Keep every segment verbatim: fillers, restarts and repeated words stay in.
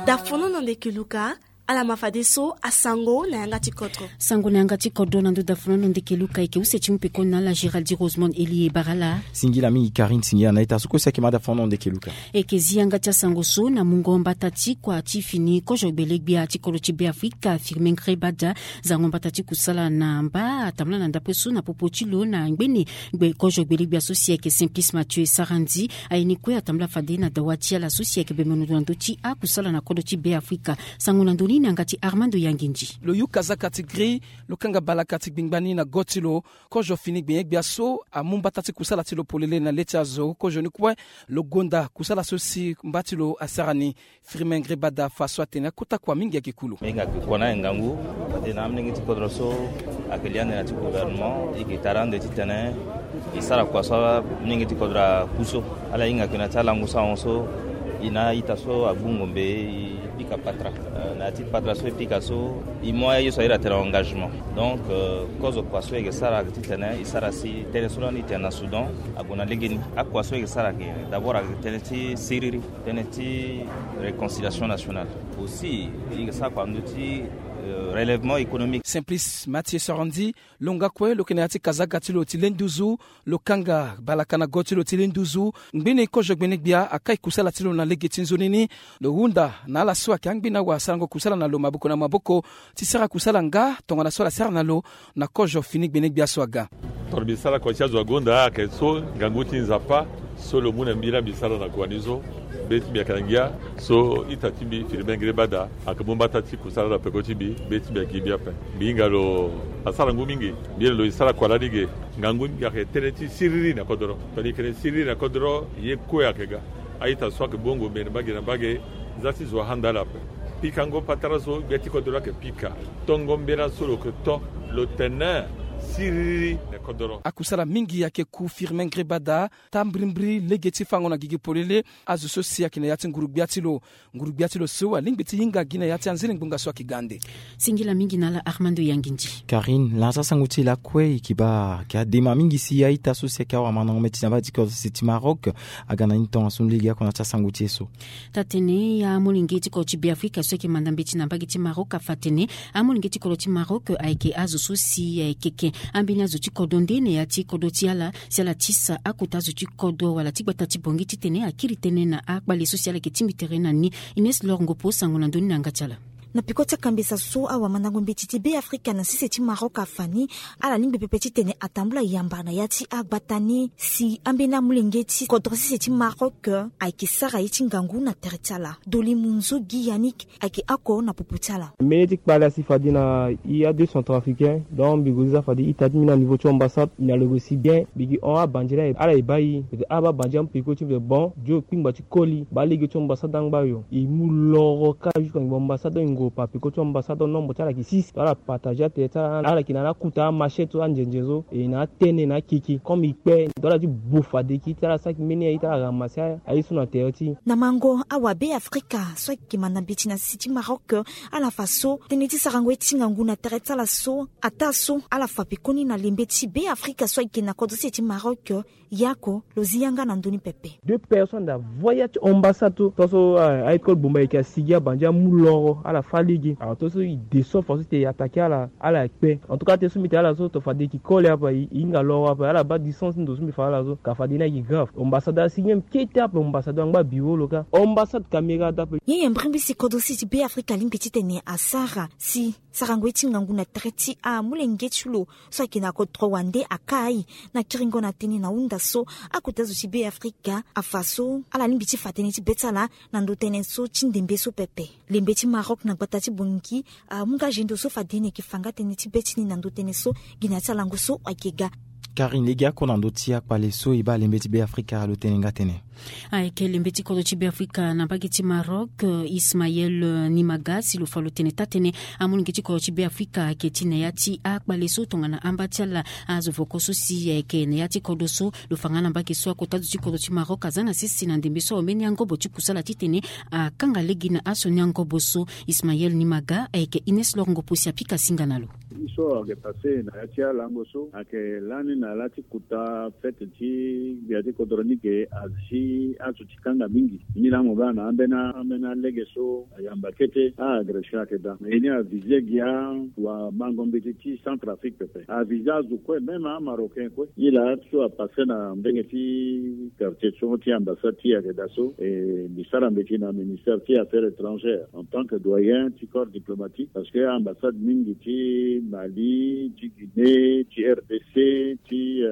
Dafono na ndeke luka. Ala ma fadeso asango na yanga ti kodro. Sango na yanga ti kodro na ndo dafono na ndeke luka eke use ti mu pekoni na ala Géraldi Rosemond Elie Barala. Singila mingi Karine, singila na ita so kue si eke ma dafono na ndeke luka. Eke zi yanga ti asango so na mungo mbata ti kua ti fini kozo gbelegbia ti kodro ti Beafrika Firmin Grebada. Zango mbata ti kusala na mba atambula na ndapue so na popo ti lo na ngbene gbe kozo gbelegbia so si eke Simplice Mathieu Sarandi. Aye ni kue atambula fade na dawa ti ala so si eke bembe nondo na ndo ti akusala na kodro ti Beafrika. Sango na ndo ni na yanga ti Armando Yangindi. Lo yu kazaka ti gri, lo kanga balaka ti gbingba ni na go ti lo. Kozo fini gbenye-gbia so amu mbata ti kusala ti lo polele na le ti azo. Kozo ni kue lo gonda kusala so si mba ti lo asara ni. Firmin Grebada fa so atene akota kua mingi ayeke kulu. Mingi ayeke kua na ngangu. Fade na amolenge ti kodro so ayeke li ande na ti gouvernement, e yeke tara ande titene e sara kua so amolenge ti kodro aku so. Ala hinga yeke na ti alango so ahon so e na a-ita so agbu ngombe, e pika patara. Euh, na ya ti patara so e pika so, e mu aye so a iri atene engagement. Donc, euh, kozo kua so e yeke sara ayeke titene e sara si tënë so lani e tene na Soudan ague na legeni. Akua so e yeke sara ayeke d'abord ayeke tënë ti siriri, tënë ti réconciliation nationale. Aussi e yeke sara kua na ndö ti, euh, relèvement économique. Simplice Mathieu Sarandi, lo nga kue lo yeke na ya ti kazaka ti lo ti le nduzu. Lo kanga balaka na go ti lo ti le nduzu. Ngbene kozo gbene-gbia akai kusala ti lo na lege ti nzoni ni. Lo hunda na ala so ayeke angbene awa asarango kusala na lo maboko na maboko ti sara kusala nga tongana so ala sara na lo na kozo fini gbene-gbia so aga. Tongana mbi sara kua ti azo agonda ayeke so ngangu ti Nzapa so lo mu na mbi laa mbi sara na kua ni so. Be ti mbi ayeke na ngia so ita ti mbi Firmin Grebada ayeke mu mbata ti kusala na peko ti mbi. Be ti mbi ayeke gi mbi ape. Mbi hinga lo asara ngu mingi. Mbi iri lo e sara kua lani ge. Ngangu ti mbi ayeke tënë ti siriri na kodoro. Tongana e yeke tënë siriri na kodoro, ye kue ayeke ga. A-ita so ayeke bongo mbeni mbage na mbage, nza ti zo ahanda ala ape. Pikango patara so gbia ti kodoro ayeke pika. Tongo mbela so lo yeke to, lo tene siriri na kodoro. Akusala mingi ayeke ku Firmin Grebada, tambirimbiri lege ti fango na gigi polele. Azo so si ayeke na ya ti nguru-gbia ti lo. Nguru-gbia ti lo so alingbi ti hinga gi na ya ti anzere ngbonga so ayeke ga ande. Singila mingi na ala Armando Yangindi. Karine, na ya ti asango ti e lakue e yeke baa ayeke adema mingi si a-ita so si ayeke awamandango mbeti na mbage ti kodro sese ti Maroc aga na ni tongaso ni lege oko na ya ti asango ti e so. Taa-tënë, amolenge ti kodro ti Beafrika so ayeke manda mbeti na mbage ti Maroc afa atene amolenge ti kodro ti Maroc ayeke azo so si ayeke ke ambeni azo ti kodro nde na ya ti kodro ti ala si ala tisa akota azo ti kodro wala ti gbata ti Bangui titene akiri tënë na akpale so si ala yeke tingbi tere na ni. Ines Lor Ngopo, sango na ndö ni na yanga ti ala. Na peko ti akambesa so awamandango mbeti ti Beafrika na sese ti Maroc afa ni, ala lingbi pepe titene atambula yamba na ya ti agbata ni si ambeni amolenge ti kodro sese ti Maroc ayeke sara ye ti ngangu na tere ti ala. Doli Munzu Guy Yannick ayeke oko na popo ti ala. Mbeni ti kpale asi fade na i a deux centrafricains, donc mbi gue zi za fade ita ti mbi na niveau ti ambassade, i na lo gue si bien. Mbi gi hon abandi la, ala e baa i. Mbi tene ah, baa bandi amu peko ti mbi. Bon, dio kpingba ti koli, baa lege ti ambassade angba yo. I mu loro kâ jusqu'à ngi ambassade, i ngu pa peko ti ambassade, nombre ti ala ayeke six. Ala partager atere ti ala, ala yeke na ala akuta amachette so, anzenze so, e na atënë na akeke. Comme i kpe, ndo ala ti bu fade ki ti ala saki mbeni aye ti ala ramasse aye so na tere ti. Na mango awa Beafrika so ayeke manda mbeti na sese ti Maroc, ala fa so tënë ti sarango ye ti ngangu na tere ti ala so ataa so ala fa pekoni na lembe ti Beafrika so ayeke na kodro sese ti Maroc. Yako lo zi yanga na ndö ni pepe. Deux personnes da voyage ti ambassade so, tongaso, ah, aye ti koli bomba ayeke asigi abandi amu loro, ala fâ lege. Alors tongaso i descend façon ti e attaquer ala, ala kpe. En tout cas, tënë so mbi tene ala so, to fade e yeke koli ape, i, i hinga loro ape, ala baa distance ti ndo so mbi fa ala so, ka fade ni ayeke grave. Ambassade asi même kete ape, ambassade angba bureau lo kâ. Ambassade caméra da ape. Nyen mbrimbri si kodro sese ti Beafrika alingbi titene asara si sarango ye ti ngangu na tere ti amolenge ti lo so ayeke na kodro wande akaa aye na kiringo na tënë na hunda so akota zo ti Beafrika afa so ala lingbi ti fa tënë ti be ti ala na ndo tënë so ti ndembe so pepe. Lembe ti Maroc na gbata ti Bangui amu nga zendo so fade ni ayeke fa nga tënë ti be ti ni na ndo tënë so gi na ya ti alango so ayeke ga. Karine, lege oko na ndö ti akpale so e baa lembe ti Beafrika lo tene nga tënë. Ayeke lembe ti kodro ti Beafrika na mbage ti Maroc, euh, Ismaël, euh, Nimaga, si lo fa lo tene taa-tënë amolenge ti kodro ti Beafrika ayeke ti na ya ti akpale so tongana amba ti ala azo voko so si ayeke na ya ti kodro so. Lo fa nga na mbage so akota zo ti kodro ti Maroc aza na sese na ndembe so awe mbeni angobo ti kusala titene akanga lege na asioni angobo so. Ismaël Nimaga ayeke Ines Lor Ngopo si apika singa na lo. Ye so ayeke pase na ya ti alango so ayeke lani Na la ti kota fête ti gbia ti kodro ni ke asi azo ti kanga mingi. Ni la mo baa na ambeni ambeni alege so ayamba kete a-agression ayeke daa. Mais ye ni avise gi awamango mbeti ti Centrafrique pepe, avise azo kue même amarocain kue. Ni la so apasse na mbenge ti quartier so ti ambassade ti ayeke daa so. E mbi sara mbeti na ministère ti affaires étrangères en tant que doyen ti corps diplomatique, parce que ambassade mingi ti Mali, ti Guinée, ti RDC, ti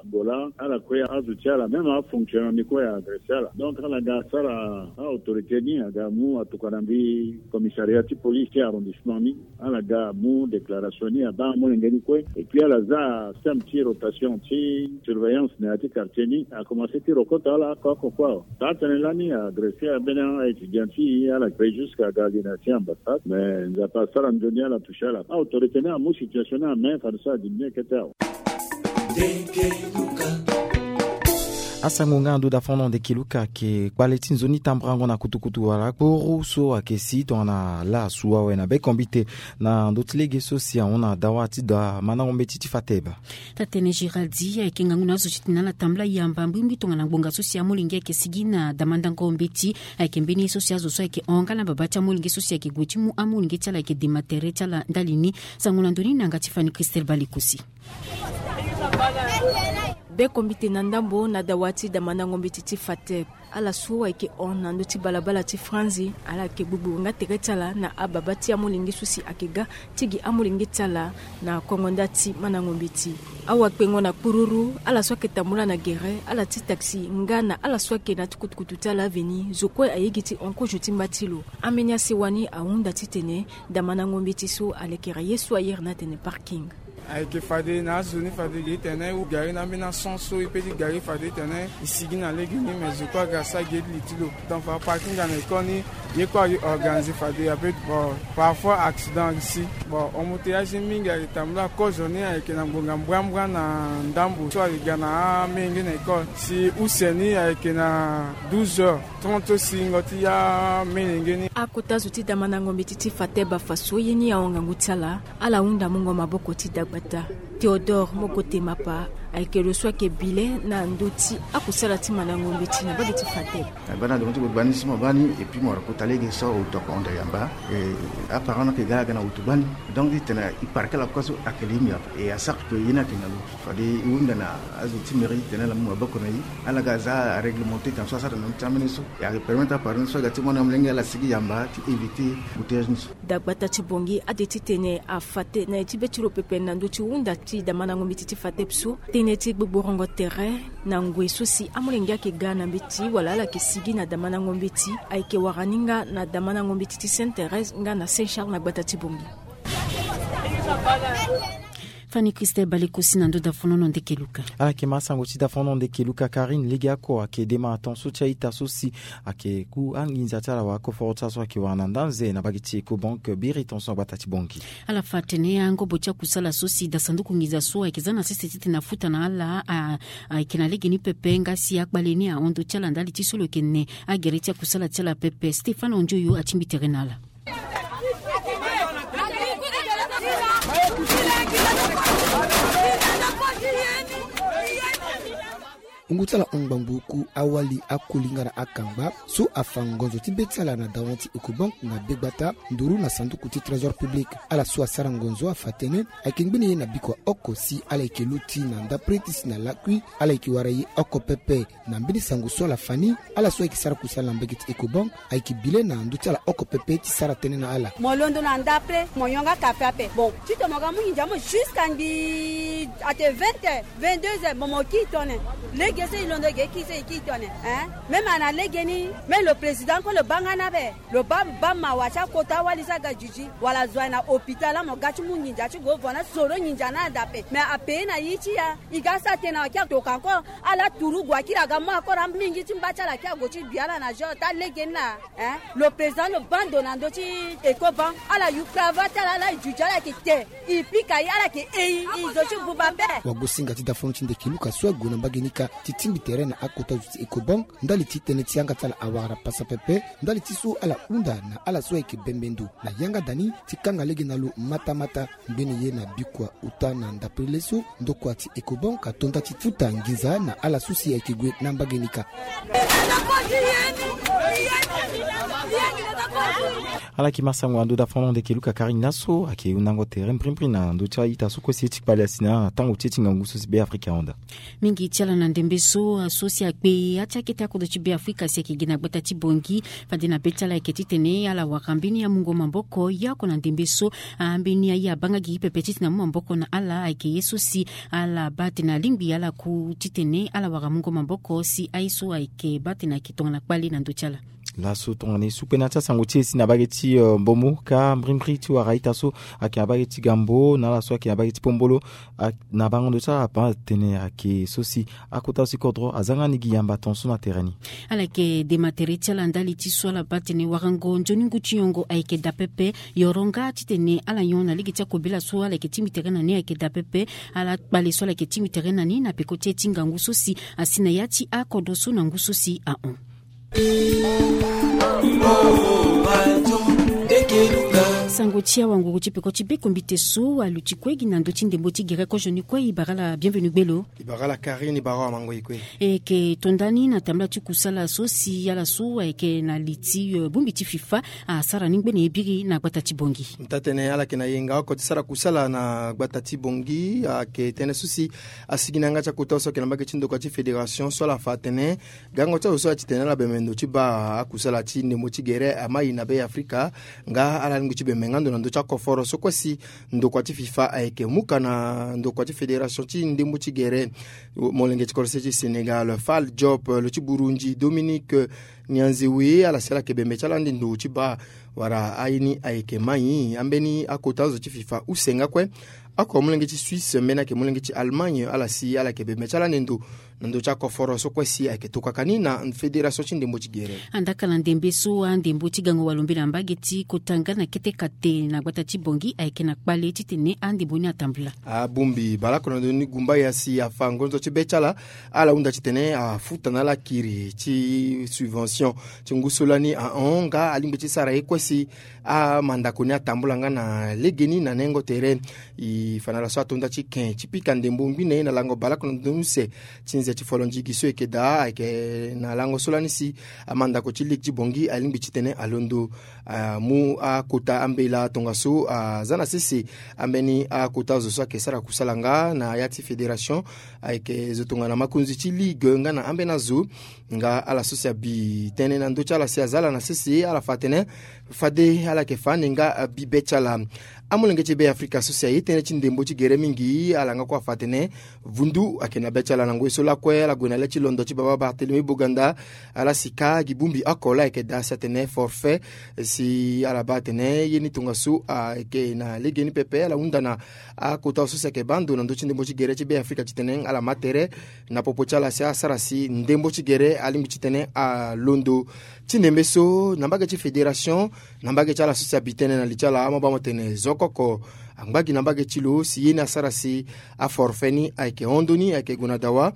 Angola, ala kue azo ti ala même afonctionnaire ni kue agresse ala. Donc ala ga asara a-autorité ni aga amu atokua na mbi commissariat ti police ti arrondissement ni. Ala ga amu déclaration ni abaa amolenge ni kue. Et puis ala za système ti rotation ti surveillance na ya ti quartier ni, akomanse ti rokota ala oko oko kue awe. Taa tënë lani agresse ambeni a-étudiant ti e, ala kpe jusque aga ali na ya ti ambassade. Mais Nzapa asara nzoni ala toucher ala. A-autorité ni amu situation ni en main, fade so adiminuer kete awe. Asango nga ndo dafono ndeke Luka ayeke kpale ti nzoni tamburango na kutukutu wala kporo so ayeke si tongana la asu awe na bekombite na ndö ti lege so si ahon na dawa ti da mandango mbeti ti Fateb. Taa tënë Géraldi ayeke ngangu na azo ti tene ala tambula yamba mbimbimbi tongana ngbonga so si amolenge ayeke sigi na da mandango mbeti. Ayeke mbeni ye so si azo so ayeke hon nga na babâ ti amolenge so si ayeke gue ti mu amolenge ti ala ayeke dema tere ti ala ndali ni. Sango na ndo ni na yanga ti Fanny Christelle Balekosi. Bekombite na ndambo na dawa ti da mandango mbeti ti Fateb. Ala so ayeke hon na ndö ti balabala ti Franzi, ala yeke gbogbo nga tere ti ala na ababâ ti amolenge so si ayeke ga ti gi amolenge ti ala na kongo nda ti mandango mbeti. Awakpengo na kpururu, ala so ayeke tambula na gere, ala ti taxi nga na ala so ayeke na ti kutukutu ti ala veni, zo kue ayeke gi ti hon kozo ti mba ti lo. Ambeni asewa ni ahunda titene da mandango mbeti so alekere ye so a iri ni atene parking. Ayeke fade na azo ni fade ge titene e gari na ambeni ason so e pe ti gari fade titene e sigi na lege ni, mais zo kue aga asara ge ti li ti lo. Donc fa parking na école ni ye kue aorganize fade ape. Bon, parfois accident ayeke si. Bon, embouteillage mingi ayeke tambula kozo ni ayeke na ngbonga mbrambra na ndambo so ayeke ga na amenge na école. Si use ni ayeke na douze heures trente so si ngingo ti ya amenge ni. Akota zo ti da mandango mbeti ti Fateb afa so ye ni ahon ngangu ti ala. Ala hunda mungo maboko ti dagbata. Théodore Mokote Mapa ayeke lo so ayeke bile na ndö ti akusala ti mandango mbeti na mbage ti Fateb. Abaa na ndongo ti gbagba ni so mo baa ni, et puis mo wara kota lege so autoko hon da yamba. E, aparent ni ayeke ga aga na wutu gbani. Donc titene e parke ala kue so ayeke li mbi ape. E asara kue ye ni ayeke na lo. Fade e hunda na azo ti mairie titene ala mu maboko na e. Ala ga aza aréglementé titene so asara na ndö ti ambeni so. E ayeke permettre aparent ni so aga ti mu na molenge ala sigi yamba ti éviter embouteillage ni so. Dagbata ti Bangui ade titene afa tënë na ye ti be ti lo pepe na ndö ti hunda ti da mandango mbeti ti Fateb so. Tënë ti gbogborongo tere na ngoi so si amolenge ayeke ga na mbeti wala ala yeke sigi na da mandango mbeti ayeke wara ni nga na da mandango mbeti ti Sainte Thérèse nga na Saint Charles na gbata ti Bangui. Fanny Christelle Balekosi na ndö dafonono ndeke Luka. Ala yeke ma asango ti dafonono ndeke Luka. Karine, legeoko ayeke dema aton so ti a-ita so si ayeke ku anginza ti ala wala koforo ti ala so ayeke wara na nda nze na mbage ti Ecobank biri tongaso na gbata ti Bangui. Ala fa atene angobo ti akusala so si da sanduku nginza so ayeke za na sese titene afuta na ala a, ayeke na legeni pepe nga si akpale ni ahon ndö ti ala ndali ti so lo yeke ne agere ti akusala ti ala pepe. Stéphane Ondioyo atingbi tere na ala. Ngu ti ala hon ngbangbo oku awali akoli nga na akangba so afa ngonzo ti be ti ala na dawa ti Ecobank na begbata nduru na sanduku ti trésor public. Ala so asara ngonzo afa atene ayeke ngbene ye na bikua oko si ala yeke luti na ndapre ti si na lakui. Ala yeke wara ye oko pepe. Na mbeni sango so ala fa ni, ala so ayeke sara kusala na mbage ti Ecobank ayeke bile na ndö ti ala oko pepe ti sara tënë na ala. Mo londo na ndapre, mo yonga kafe ape. Bon, titene mo ga mu nginza mo jusqu'à ngbii ate vingt heures, vingt-deux heures, bon, mo kiri tone. Lege so e londo ge kiri so e kiri tone, hein? Même ana lege ni, même le président kue lo baa nga ni ape. Lo baa, baa mawa ti akota wali so aga juju wala zo aye na hôpital, la mo ga ti mu nginza ti gue vo na soro nginza ni ada ape. Mais ape na ye ti ya. E ga sara tënë na waki atoka encore. Ala turu gue akiri aga mu encore ambingi ti mba ti ala, akiri ague ti bi ala na jour ti alege ni laa. Hein? Lo président lo baa ndo na ndö ti Ecobank, ala yu cravate ti ala, ala e juju, ala yeke te. E pika ye, ala yeke e e zo ti buba ape. Wagosinga ti dafono ti ndeke Luka so ague na mbage ni kâ ti Ti mbi tere na akota zo ti Ecobank ndali ti tënë ti yanga ti ala awara pasa pepe ndali ti so ala hunda na ala so ayeke bembe ndo na yanga da ni ti kanga lege na lo matamata. Ngbene ye na bikua uta na ndapele so ndokua ti Ecobank ato nda ti futa nginza na ala so si ayeke gue na mbage ni kâ. Ala yeke ma sango na ndo da fano ndeke luka kari ni laso ayeke hundango tere mbrimbri na ndo ti a-ita so kue si ye ti kpale asi na tango ti ye ti ngangu so si Be Afrika ahon daa. Mingi ti ala na ndembe so aso si akpe ya ti akete akodro ti Be Afrika si ayeke gi na gbata ti Bongi. Fade na be ti ala ayeke titene ala wara mbeni amungo maboko ya oko na ndembe so. Ambeni aye abaa nga gigi pepe titene amu maboko na ala ayeke ye so si ala baa atene alingbi ala ku titene ala wara mungo maboko si aye so ayeke baa atene ayeke tongana kpale na ndö ti ala. Laso tongana e su kue na ya ti asango ti e si na bage ti mbomo kâ mbrimbri ti wara ita so ayeke na bage ti gambo na ala so ayeke na bage ti pombolo. Na bango ndo ti ala abaa atene ayeke so si akota so si kodro aza nga ni gi yamba ton so na tere ni. Ala yeke dema tere ti ala ndali ti so ala baa atene warango nzoni ngu ti nyongo ayeke daa pepe. Yoro nga titene ala nyon na lege ti akobela so ala yeke tingbi tere na ni ayeke daa pepe. Ala kpale so ala yeke tingbi tere na ni na peko ti e ti ngangu so si asi na ya ti akodro so na ngu so si ahon. Sango ti awanguru ti peko ti be kombite so aluti kue gi na ndö ti ndembo ti gere kozoni kue e bara ala bienvenu gbelo. E bara ala Karine, e bara amango e kue. E yeke to nda ni na tambula ti kusala so si ala so ayeke na li ti bongbi ti fifa asara ni ngbene ye biri na gbata ti Bongi. N taa tene ala yeke na yenga oko ti sara kusala na gbata ti Bongi ayeke tënë so si asigi na yanga ti akota so ayeke na mbage ti ndokua ti fédération so ala fa atene gango ti azo so aye titene ala bembe ndo ti baa akusala ti ndembo ti gere amai na Be Afrika. Nga ala lingbi ti bembe nga ndo na ndö ti akoforo so kue si ndokua ti fifa ayeke mu ka na ndokua ti fédération ti ndembo ti gere. Molenge ti kodro ti Sénégal Fall Diop, lo ti Burundi Dominique Nianzewe, ala si ala yeke bembe ti ala ande ndo ti baa wala aye ni ayeke mai ambeni akota azo ti fifa use nga kue. Oko molenge ti Suisse mbeni ayeke molenge ti Allemagne, ala si ala yeke bembe ti ala ande ndo na ndö ti akoforo so kue si ayeke tokaka ni na fédération ti ndembo ti gere. Andaka na ndembe so andembo ti gango walombe na mbage ti kota nga na kete kate na gbata ti Bongi ayeke na kpale titene andembo ni atambula. Abongbi baleoko na ndoni gumba ya si afa ngonzo ti be ti ala. Ala hunda titene afuta na ala kiri ti subvention ti ngu so lani ahon nga alingbi ti sara ye kue si amandako ni atambula nga na legeni na nengo tere. E fa na ala so ato nda ti ken ti pika ndembo ngbene na lango baleoko na ndoni use ti nze ti folo ndigi so e yeke daa ayeke na lango so lani si amandako ti ligue ti Bongi alingbi titene alondo amu akota ambela tongaso aza na sese ambeni akota azo so ayeke sara kusala nga na ya ti fédération. Ayeke zo tongana makonzi ti ligue nga na ambeni azo. Nga ala so si abi tënë na ndö ti ala si aza ala na sese, ala fa atene fade ala yeke fa ande nga abi be ti ala. Amolenge ti Be Afrika so si aye tënë ti ndembo ti gere mingi, ala nga kue afa atene vundu ayeke na be ti ala na ngoi so lakue. Ala gue na le ti londo ti baba Barthélemy Boganda. Ala si kâ gi bongbi oko laa ayeke daa si atene forfait. Si ala baa atene ye ni tongaso ayeke na legeni pepe, ala hunda na akota so si ayeke baa ndo na ndö ti ndembo ti gere ti Be Afrika titene ala ma tere na popo ti ala si asara si ndembo ti gere alingbi titene alondo. Ti ndembe so na mbage ti fédération, na mbage ti ala so si abi tënë na li ti ala, amabamo tene zo oko oko angba gi na mbage ti lo si ye ni asara si aforfait ni ayeke hon ndoni, ayeke gue na dawa.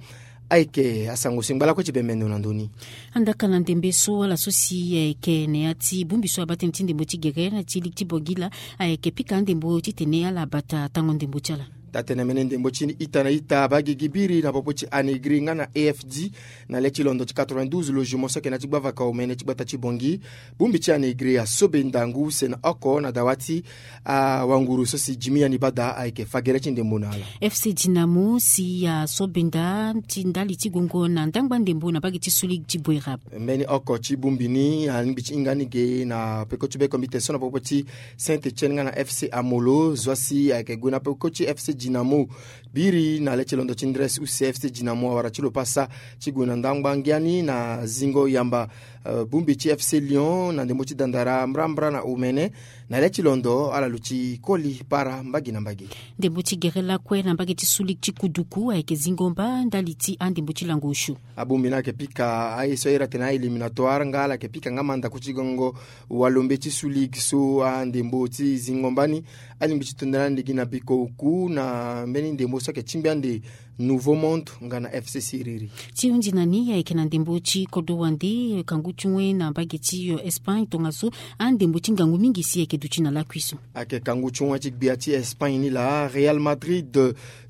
Ayeke asango si ngba lakue ti bembe ndo na ndö ni. Andaka na ndembe so ala so si ayeke na ya ti bongbi so abaa tënë ti ndembo ti gere na ti ligue ti Bongi laa ayeke pika andembo titene ala bata tango ndembo ti ala. Taa tene mbeni ndembo ti ita na ita abaa gigi biri na popo ti Anegri nga na A F D na le ti londo ti quatre-vingt-douze logement so ayeke na ya ti gbavaka omene ti gbata ti Bongi. Bongbi ti Anegri asobe ndangu use na oko na dawa ti awanguru so si Jimmy Yani Bada ayeke fa gere ti ndembo na ala. F C Dynamo si asobe nda ti ndali ti gongo na ndangba ndembo na mbage ti Sud Ligue ti Boerab. Mbeni oko ti bongbi ni alingbi ti hinga ni ge na peko ti be kombite so na popo ti Saint-Etienne nga na F C Amolo, zo asi ayeke gue na peko ti F C Dynamo. Biri na le ti londo ti ndresi use F C Dynamo awara ti lo pasa ti gue na ndangba ngia ni na zingo yamba. Eh, bongbi ti F C Lyon na ndembo ti dandara mbrambra na omene. Na le ti londo ala luti koli para mbage na mbage. Ndembo ti gere lakue na mbage ti Sud Ligue ti Kuduku ayeke zingo mba ndali ti andembo ti lango osio. Abongbi ni ayeke pika aye so ahiri atene a-éliminatoire nga ala yeke pika nga mandako ti gango walombe ti Sud Ligue so andembo ti zingo mba ni alingbi ti to nda ni ande gi na biko oku na mbeni ndembo so ayeke tingbi ande Nouveau Monde nga na FC Siriri. Ti hunzi na ni ayeke na ndembo ti kodro wande kangu ti wen na mbage ti Espagne tongaso, andembo ti ngangu mingi si ayeke duti na lakui so. Ayeke kangu ti wen ti gbia ti Espagne ni laa, Real Madrid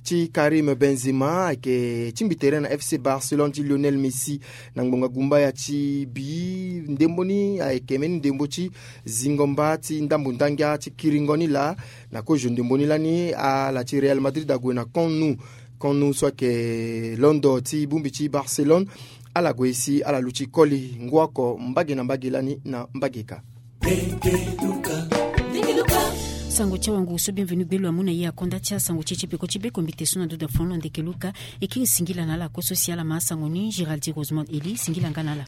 ti Karim Benzema ayeke tingbi tere na FC Barcelone ti Lionel Messi na ngbonga gumbaya ti bi. Ndembo ni ayeke mbeni ndembo ti zingo mba ti ndambo ndangia ti kiringo ni laa. Na kozo ndembo ni lani, ala ti Real Madrid ague na Camp Nou. Camp Nou so ayeke londo ti bongbi ti Barcelone. Ala gue si ala luti koli ngu oko mbage na mbage lani na mbage ka. Sango ti awangu so Bienvenu Gbelo amu na ye akonda ti asango ti e ti peko ti be kombite so na duda funu na ndeke luka. E kiri singila na ala kue so si ala ma asango ni, Géraldi Rosemond Eli, singila nga na ala.